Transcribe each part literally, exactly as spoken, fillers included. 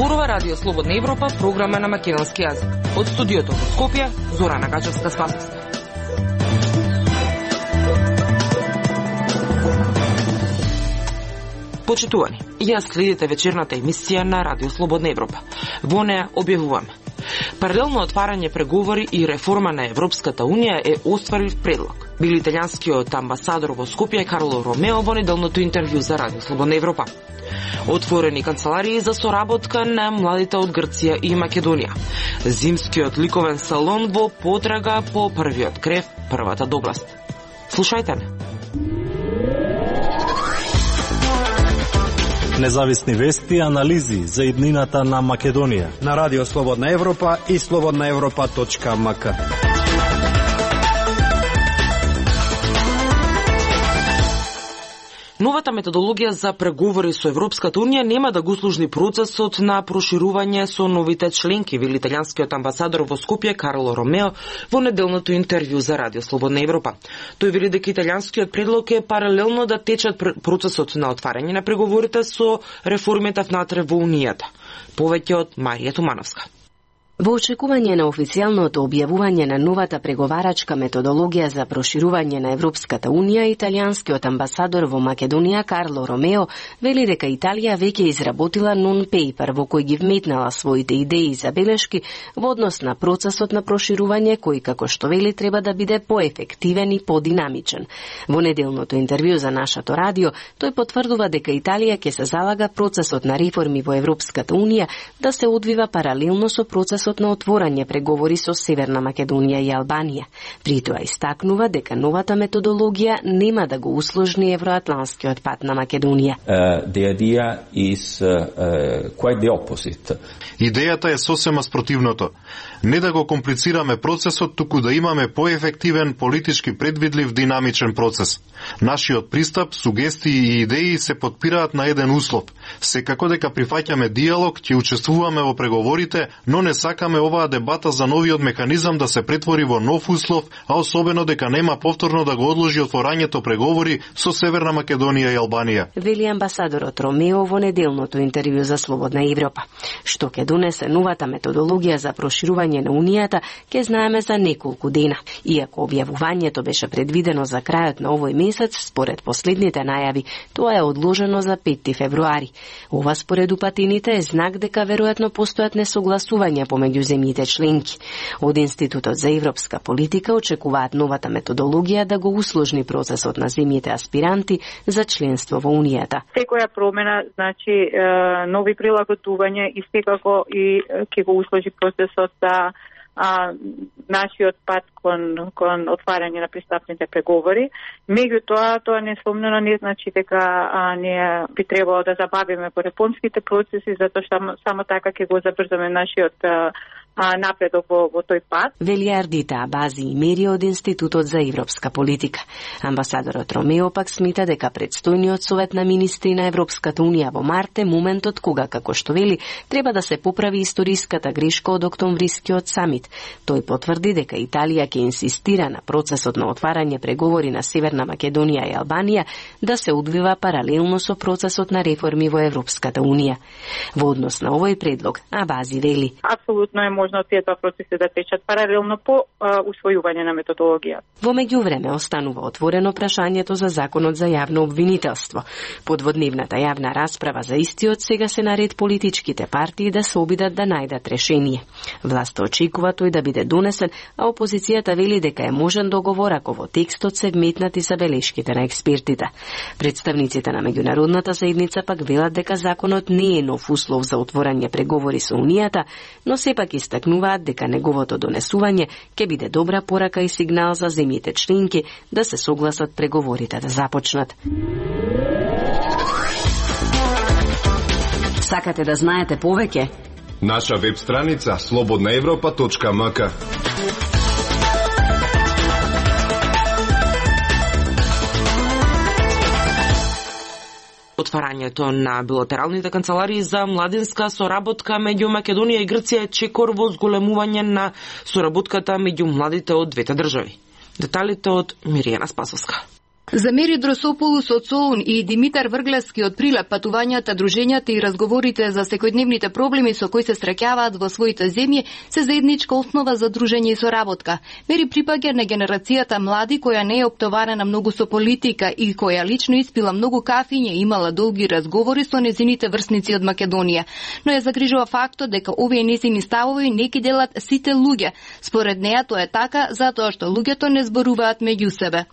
Зборува Радио Слободна Европа, програма на македонски јазик. Од студиото во Скопје, Зорана Гачевска-Спасовска. Почитувани, ја следите вечерната емисија на Радио Слободна Европа. Во неа објавуваме: паралелно отварање преговори и реформа на Европската Унија е остварив предлог. Бил италијанскиот амбасадор во Скопје Карло Ромео во неделното интервју за Радио Слободна Европа. Отворени канцеларии за соработка на младите од Грција и Македонија. Зимскиот ликовен салон во потрага по првиот крев, првата добласт. Слушајте не. Независни вести и анализи за иднината на Македонија на Радио Слободна Европа и слободна европа точка ем ка. Новата методологија за преговори со Европската Унија нема да го услужни процесот на проширување со новите членки, вели италијанскиот амбасадор во Скопје Карло Ромео во неделното интервју за Радио Слободна Европа. Тој вели дека италијанскиот предлог е паралелно да течат процесот на отварање на преговорите со реформите внатре во Унијата. Повеќе од Марија Тумановска. Во очекување на официјалното објавување на новата преговарачка методологија за проширување на Европската Унија, италијанскиот амбасадор во Македонија Карло Ромео вели дека Италија веќе изработила нон-пейпер во кој ги вметнала своите идеи и забелешки во однос на процесот на проширување кој, како што вели, треба да биде поефективен и подинамичен. Во неделното интервју за нашето радио, тој потврдува дека Италија ќе се залага процесот на реформи во Европската Унија да се одвива паралелно со процесот на отворање преговори со Северна Македонија и Албанија. При тоа истакнува дека новата методологија нема да го усложни евроатланскиот пат на Македонија. Uh, the idea is uh, uh, quite the opposite. Идејата е сосема спротивното. Не да го комплицираме процесот, туку да имаме поефективен, политички предвидлив, динамичен процес. Нашиот пристап, сугестии и идеи се подпираат на еден услов. Секако дека прифаќаме диалог, ќе учествуваме во преговорите, но не сакаме оваа дебата за новиот механизам да се претвори во нов услов, а особено дека нема повторно да го одложи отворањето преговори со Северна Македонија и Албанија. Вели амбасадорот Ромео во неделното интервју за Слободна Европа. Што ќе донесе новата методологија за проширување на Унијата, ќе знаеме за неколку дена. Иако објавувањето беше предвидено за крајот на овој месец, според последните најави, тоа е одложено за петти февруари. Ова според упатените е знак дека веројатно постојат несогласувања помеѓу земјите членки. Од Институтот за европска политика очекуваат новата методологија да го усложни процесот на земјите аспиранти за членство во Унијата. Секоја промена значи нови прилагодување и секако и ќе го усложи процесот за а, нашиот пат кон, кон отварање на пристапните преговори. Меѓутоа, тоа несомнено не значи дека а, ние би требало да забавиме по реформските процеси, затоа што само, само така ќе го забрзаме нашиот а, а, напредок во, во тој пат. Вели Ардита Абази и Мери од Институтот за европска политика. Амбасадорот Ромео пак смита дека предстојниот совет на министри на Европската Унија во март е моментот кога, како што вели, треба да се поправи историската грешка од октомврискиот самит. Тој потврди дека Италија ќе инсистира на процесот на отварање преговори на Северна Македонија и Албанија да се одвива паралелно со процесот на реформи во Европската Унија. Во однос на овој предлог, Абази вели: апсолутно е можно тие два процеси да течат паралелно по а, усвојување на методологија. Во меѓувреме останува отворено прашањето за законот за јавно обвинителство. Подводневната јавна расправа за истиот сега се наред политичките партии да се обидат да најдат решение. Власта очекува тој да биде донесен, а опозицијата вели дека е можен договор ако во текстот се вметнати забелешките на експертите. Представниците на меѓународната заедница пак велат дека законот не е нов услов за отворање преговори со Унијата, но сепак истакнуваат дека неговото донесување ќе биде добра порака и сигнал за земјите членки да се согласат преговорите да започнат. Сакате да знаете повеќе? Наша веб страница слободна европа точка ем ка. Отварањето на билатералните канцеларии за младинска соработка меѓу Македонија и Грција е чекор во зголемување на соработката меѓу младите од двете држави. Деталите од Миријана Спасовска. За Мери Дросополус од Солун и Димитар Врглевски од Прилеп патувањата, дружењата и разговорите за секојдневните проблеми со кои се среќаваат во своите земји се заедничка основа за дружење и соработка. Мери припаѓа на генерацијата млади која не е оптоварена многу со политика и која лично испила многу кафиња и имала долги разговори со незините врсници од Македонија. Но ја загрижува фактот дека овие незини ставови не ги делат сите луѓе. Според неа тоа е така затоа што луѓето не зборуваат меѓу себе.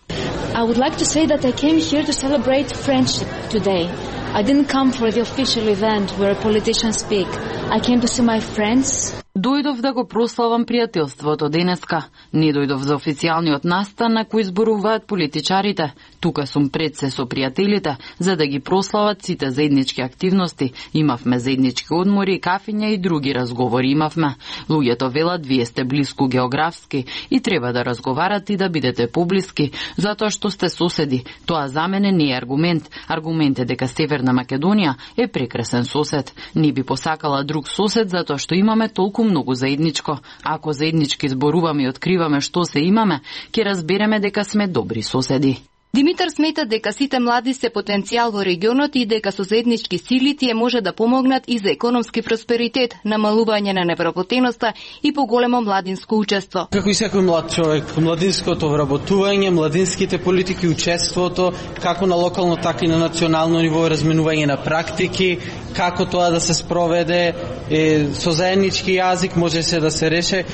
I would like to say that I came here to celebrate friendship today. I didn't come for the official event where politicians speak. I came to see my friends. Дојдов да го прославам пријателството денеска. Не дојдов за официјалниот настан на кој зборуваат политичарите. Тука сум пред се со пријателите, за да ги прослават сите заеднички активности. Имавме заеднички одмори, кафиња и други разговори имавме. Луѓето велат вие сте блиску географски и треба да разговарате и да бидете поблиски, затоа што сте соседи. Тоа за мене не е аргумент. Аргумент е дека Северна Македонија е прекрасен сосед. Не би посакала друг сосед затоа што имаме толку многу заедничко. Ако заеднички зборуваме и откриваме што се имаме, ќе разбереме дека сме добри соседи. Димитар смета дека сите млади се потенцијал во регионот и дека со заеднички сили тие може да помогнат и за економски просперитет, намалување на невработеноста и поголемо младинско учество. Како и секој млад човек, младинското вработување, младинските политики, учеството, како на локално, така и на национално ниво, разменување на практики, како тоа да се спроведе е, со заеднички јазик може се да се реше.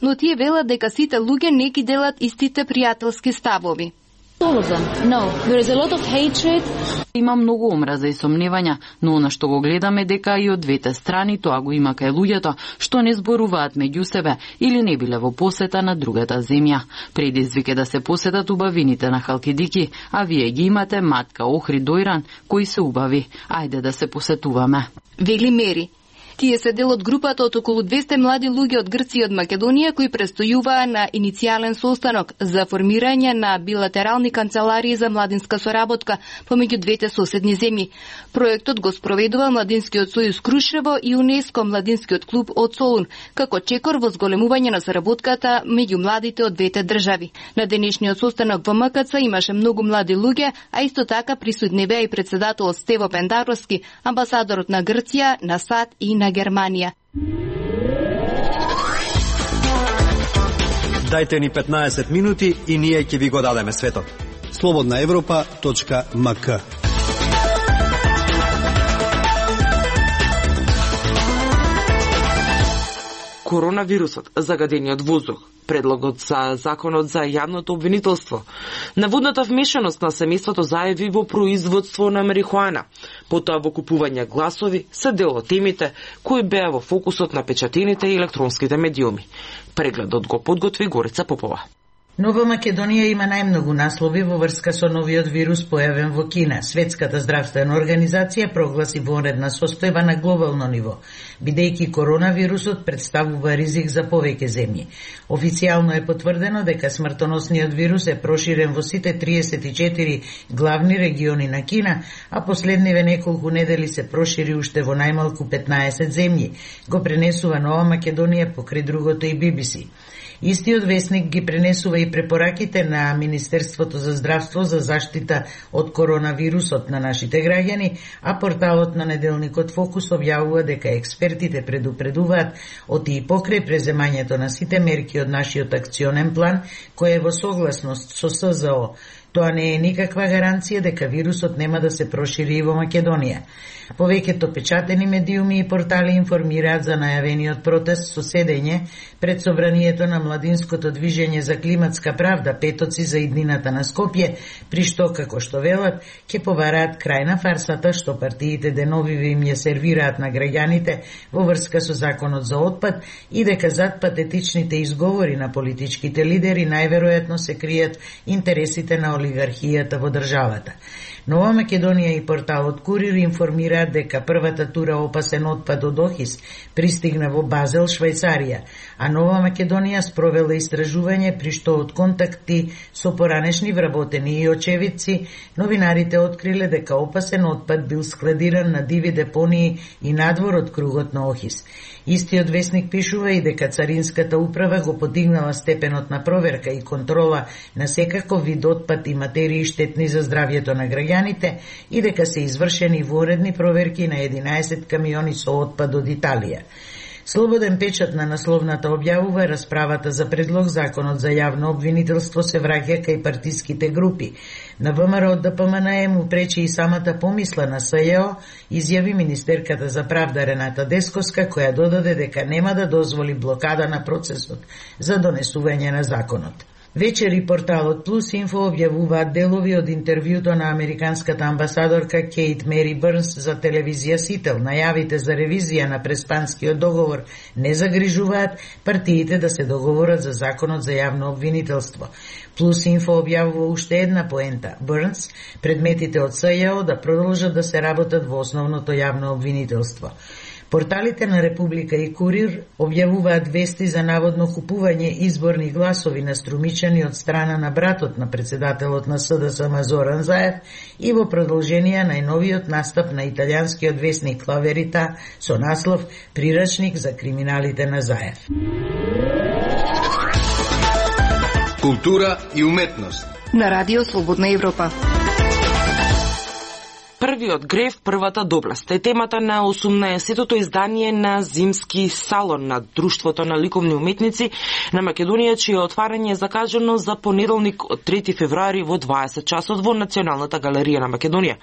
Но тие велат дека сите луѓе не ги делат истите пријателски ставови. All of them. No, there is a lot of hatred. Има многу омраза и сомневања, но она што го гледаме дека и од двете страни тоа го има кај луѓето што не зборуваат меѓу себе или не биле во посета на другата земја. Предизвик е да се посетат убавините на Халкидики, а вие ги имате Матка, Охрид, Дојран, кои се убави. Ајде да се посетуваме. Вели Мери. Тие се дел од групата од околу двесте млади луѓе од Грција и од Македонија кои престојуваа на иницијален состанок за формирање на билатерални канцеларии за младинска соработка помеѓу двете соседни земји. Проектот го спроведува Младинскиот сојуз Крушево и УНЕСКО Младинскиот клуб од Солун, како чекор во зголемување на соработката меѓу младите од двете држави. На денешниот состанок во М К Ц имаше многу млади луѓе, а исто така присутни беа и председателот Стево Пендаровски, амбасадорот на Грција, на САД и на Германија. Дајте ни петнаесет минути и ние ќе ви го дадеме светот. слободна европа точка м к. Коронавирусот, загадениот воздух, предлогот за законот за јавното обвинителство, наводната вмешаност на семејството Заеви во производство на марихуана, потоа во купување гласови се дел од темите кои беа во фокусот на печатените и електронските медиуми. Прегледот го подготви Горица Попова. Нова Македонија има најмногу наслови во врска со новиот вирус појавен во Кина. Светската здравствена организација прогласи вонредна состојба на глобално ниво, бидејќи коронавирусот представува ризик за повеќе земји. Официјално е потврдено дека смртоносниот вирус е проширен во сите триесет и четири главни региони на Кина, а последниве неколку недели се прошири уште во најмалку петнаесет земји, го пренесува Нова Македонија покрај другото и Би Би Си. Истиот весник ги пренесува и препораките на Министерството за здравство за заштита од коронавирусот на нашите граѓани, а порталот на неделникот Фокус објавува дека експертите предупредуваат од и покрај преземањето на сите мерки од нашиот акционен план, кој е во согласност со С З О. Тоа не е никаква гаранција дека вирусот нема да се прошири и во Македонија. Повеќето печатени медиуми и портали информираат за најавениот протест со седење пред собранието на Младинското движење за климатска правда, петоци за иднината на Скопје, при што, како што велат, ќе побараат крај на фарсата што партиите деновиве им ја сервираат на граѓаните во врска со законот за отпад и дека зад патетичните изговори на политичките лидери најверојатно се кријат интересите на олигархијата во државата. Нова Македонија и порталот Курир информираат дека првата тура опасен отпад од Охис пристигна во Базел, Швајцарија, а Нова Македонија спровела истражување при што од контакти со поранешни вработени и очевидци, новинарите откриле дека опасен отпад бил складиран на диви депонии и надвор од кругот на Охис. Истиот весник пишува и дека Царинската управа го подигнала степенот на проверка и контрола на секаков вид отпад и материи штетни за здравјето на граѓаните и дека се извршени воредни проверки на единаесет камиони со отпад од Италија. Слободен печат на насловната објавува расправата за предлог законот за јавно обвинителство се враќа кај партиските групи. На ВМРО од ДПМН му пречи и самата помисла на СЈО, изјави министерката за правда Рената Десковска, која додаде дека нема да дозволи блокада на процесот за донесување на законот. Вечери порталот Плюс Инфо објавуваат делови од интервјуто на американската амбасадорка Кейт Мери Бърнс за телевизија Сител. Најавите за ревизија на преспанскиот договор не загрижуваат партиите да се договорат за законот за јавно обвинителство. Плюс Инфо објавува уште една поента. Бърнс, предметите од СЈО да продолжат да се работат во основното јавно обвинителство. Порталите на Република и Курир објавуваат вести за наводно купување изборни гласови на Струмичани од страна на братот на председателот на СДСМ Зоран Заев и во продолжение најновиот настап на италијанскиот весник Ла Верита со наслов Прирачник за криминалите на Заев. Култура и уметност на Радио Слободна Европа. Првиот грев, првата доблест е темата на осумнаесеттото издание на Зимски салон на Друштвото на ликовни уметници на Македонија, чие отварање е закажано за понеделник од трети февруари во дваесет часот во Националната галерија на Македонија.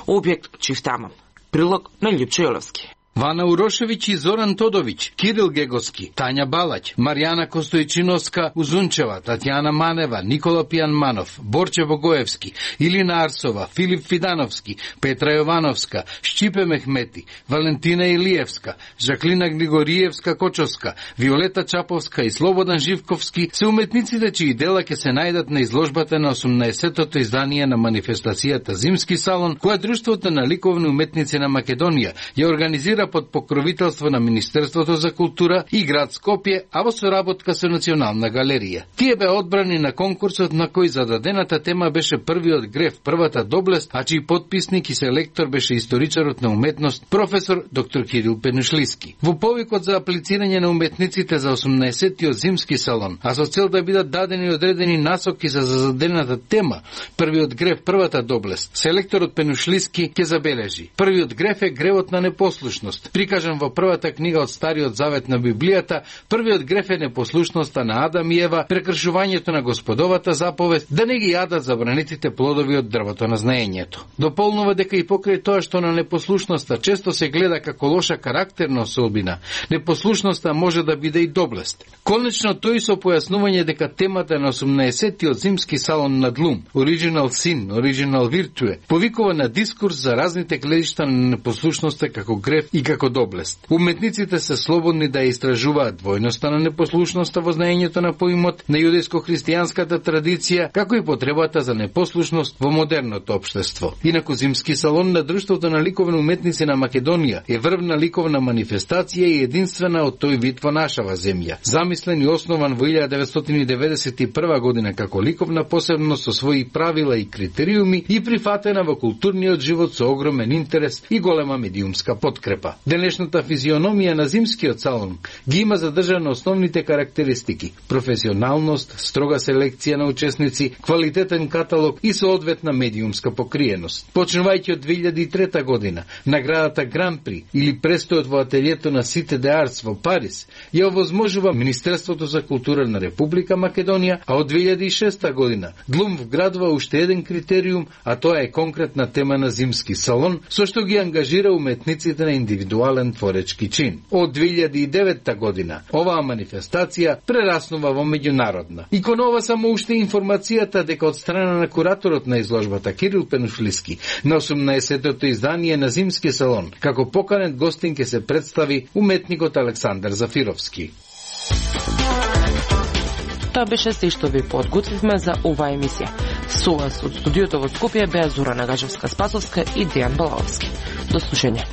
Објект Чифтаман. Прилог на Лјупчо Јолевски. Вана Урошевиќ и Зоран Тодовиќ, Кирил Гегоски, Тања Балаќ, Маријана Костојчиновска Узунчева, Татјана Манева, Никола Пијанманов, Борче Богоевски, Илина Арсова, Филип Фидановски, Петра Јовановска, Шчипе Мехмети, Валентина Илиевска, Жаклина Григориевска Кочовска, Виолета Чаповска и Слободан Живковски се уметниците чии дела ќе се најдат на изложбата на осумнаесеттото издание на манифестацијата Зимски салон, која Друштвото на ликовни уметници на Македонија ја организира под покровителство на Министерството за култура и град Скопје, а во соработка со Национална галерија. Тие беа одбрани на конкурсот на кој зададената тема беше првиот грев, првата доблест, а чиј потписник и селектор беше историчарот на уметност професор доктор Кирил Пенушлиски. Во повикот за аплицирање на уметниците за осумнаесеттиот Зимски салон, а со цел да бидат дадени одредени насоки за зададената тема, првиот грев, првата доблест, селекторот Пенушлиски ќе забележи: првиот грев е гревот на непослушност. Прикажан во првата книга од Стариот завет на Библијата, првиот греф е непослушноста на Адам и Ева, прекршувањето на Господовата заповед да не ги јадат забранетите плодови од дрвото на знаењето. Дополнува дека и покрај тоа што на непослушноста често се гледа како лоша карактерна особина, непослушноста може да биде и доблест. Конечно тој со појаснување дека темата на осумнаесеттиот Зимски салон на Длум, Original Sin, Original Virtue, повикува на дискурс за разните гледишта на непослушноста како греф и како доблест. Уметниците се слободни да истражуваат двојноста на непослушноста во знаењето на поимот на јудејско-христијанската традиција, како и потребата за непослушност во модерното општество. Инаку Зимски салон на Друштвото на ликовни уметници на Македонија е врвна ликовна манифестација и единствена од тој вид во нашава земја. Замислен и основан во илјада деветстотини деветдесет и прва година како ликовна посебност со своји правила и критериуми и прифатена во културниот живот со огромен интерес и голема медиумска подкрепа. Денешната физиономија на Зимскиот салон ги има задржано основните карактеристики: професионалност, строга селекција на учесници, квалитетен каталог и соодветна медиумска покриеност. Почнувајќи од две илјади и трета година, наградата Гран При или престојот во ателието на Сите де Артс во Париз ја овозможува Министерството за култура на Република Македонија, а од две илјади и шеста година Длум вградува уште еден критериум, а тоа е конкретна тема на Зимски салон, со што ги ангажира уметниците на индивидуален творечки чин. Од две илјади и девета година оваа манифестација прераснува во меѓународна. И кон ова само уште информацијата дека од страна на кураторот на изложбата Кирил Пенушлиски на осумнаесеттото издание на Зимски салон, како поканет гостин ќе се представи уметникот Александар Зафировски. Тоа беше се што ви подготвивме за оваа емисија. Со вас од студиото во Скопје беа Зора Нагажевска-Спасовска и Дејан Балаовски. До слушање.